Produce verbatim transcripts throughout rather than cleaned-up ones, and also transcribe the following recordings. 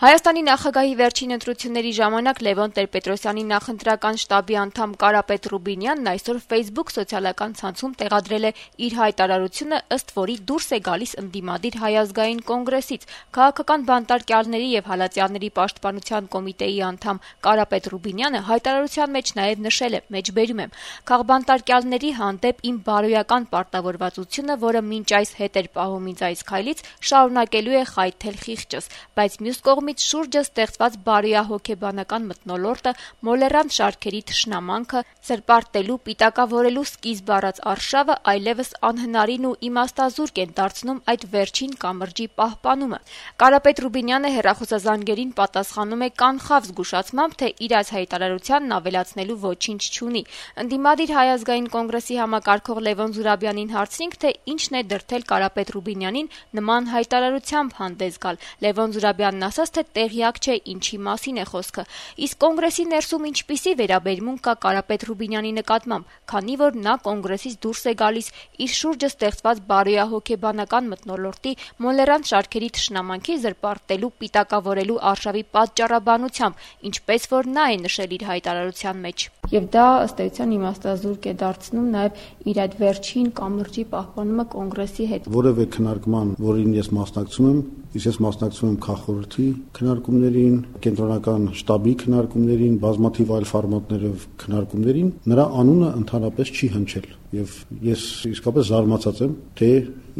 Հայաստանի նախագահի վերջին ընտրությունների ժամանակ Լևոն Տեր-Պետրոսյանի նախընտրական շտաբի անդամ Կարապետ Ռուբինյանն այսօր Facebook սոցիալական ցանցում տեղադրել է իր հայտարարությունը, ըստ որի դուրս է գալիս ընդդիմադիր Հայ ազգային կոնգրեսից։ Քաղաքական բանտարկյալների եւ հալածյալների պաշտպանության կոմիտեի անդամ Կարապետ Ռուբինյանը հայտարարության մեջ նաեւ նշել է. «Մեջբերում եմ. քաղբանտարկյալների հանդեպ իմ բարոյական պարտավորվածությունը, որը մինչ այս հետ էր պահում ինձ այս քայլից, շարունակելու է խայթել խիղճս, բայց մյուս կողմից շուրջը ստեղծված բարոյահոգեբանական մթնոլորտը, մոլեռանդ շարքերի թշնամանքը, զրպարտելու, պիտակավորելու սկիզբ առած արշավը այլևս անհնարին ու իմաստազուրկ են դարձնում այդ վերջին կամրջի պահպանումը»։ Կարապետ Ռուբինյանը հեռախոսազանգերին պատասխանում է կանխավ զգուշացմամբ, թե իր այս հայտարարությանն ավելացնելու ոչինչ չունի։ Ընդդիմադիր Հայ ազգային կոնգրեսի համակարգող Լևոն Զուրաբյանին հարցրինք, թե ինչն է դրդել Կարապետ Ռուբինյանին նման հայտարարությամբ հանդես գալ։ Լևոն Զուրաբյանն ասաց, թե տեղյակ չէ ինչի մասին է խոսքը։ Իսկ կոնգրեսի ներսում ինչպիսի վերաբերմունք կա Կարապետ Ռուբինյանի նկատմամբ, քանի որ նա կոնգրեսից դուրս է գալիս իր շուրջը ստեղծված բարոյահոգեբանական մթնոլորտի, մոլեռանդ շարքերի թշնամանքի զրպարտելու, պիտակավորելու արշավի պատճառաբանությամբ, ինչպես որ նա է նշել իր հայտարարության մեջ։ Եվ դա ըստ էության իմաստազուրկ է դարձնում նաև իր այդ վերջին կամրջի պահպանումը կոնգրեսի հետ։ Որևէ քննարկման, որին ես մասնակցում եմ, իսկ ես մասնակցում եմ քաղաքորդի քննարկումներին, կենտրոնական շտաբի քննարկումներին, բազմաթիվ այլ ֆորմատներով քննարկումներին, նրա անունը ընդհանրապես չի հնչել։ Եվ ես իսկապես զարմացած եմ, թե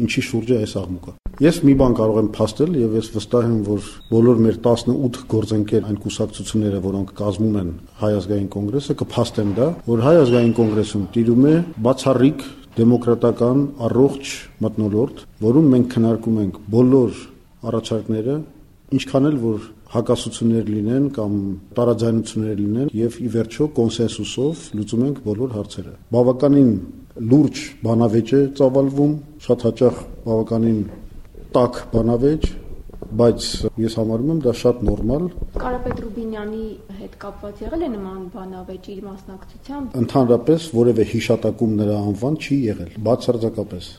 ինչի շուրջ է այս աղմուկը։ Ես մի բան կարող եմ փաստել եւ ես վստահ եմ, որ բոլոր մեր տասնութ գործընկեր այն կուսակցությունները, որոնք կազմում են Հայ ազգային կոնգրեսը, կփաստեն դա, որ Հայ ազգային կոնգրեսում տիրում է բացառիկ դեմոկրատական առողջ մթնոլորտ, որում մենք քննարկում ենք բոլոր առաջարկները, ինչքան էլ որ հակասություններ լինեն կամ տարաձայնություններ լինեն եւ ի վերջո կոնսենսուսով լուծում ենք բոլոր հարցերը։ Բավականին լուրջ բանավեճ է ծավալվում, շատ հաճախ բավականին տաք բանավեճ, բայց ես համարում եմ դա շատ նորմալ։ Կարապետ Ռուբինյանի հետ կապված եղել է նման բանավեճ իր մասնակցությամբ։ Ընդհանրապես որևէ հիշատակում նրա անվան չի եղել, բացարձակապես։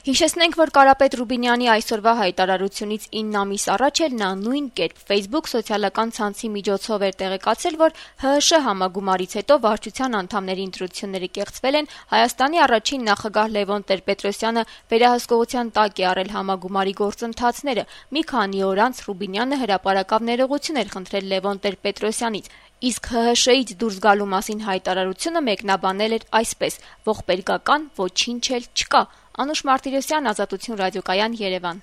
Հիշեցնենք, որ Կարապետ Ռուբինյանի այսօրվա հայտարարությունից ինը ամիս առաջ էլ նա նույն կերպ Facebook սոցիալական ցանցի միջոցով էր տեղեկացել, որ ՀՀՇ համագումարից հետո վարչության անդամների ընտրությունները կեղծվել են, Հայաստանի առաջին նախագահ Լևոն Տեր-Պետրոսյանը վերահսկողության տակ է առել համագումարի գործընթացները։ Մի քանի օր անց Ռուբինյանը հրապարակավ ներողություն էր խնդրել Լևոն Տեր-Պետրոսյանից, իսկ ՀՀՇ-ից դուրս գալու մասին հայտարարությունը մեկնաբանել էր այսպես. «Ողբերգական ոչինչ էլ չկա»։ Անուշ Մարտիրոսյան, Ազատություն ռադիոկայան, Երևան։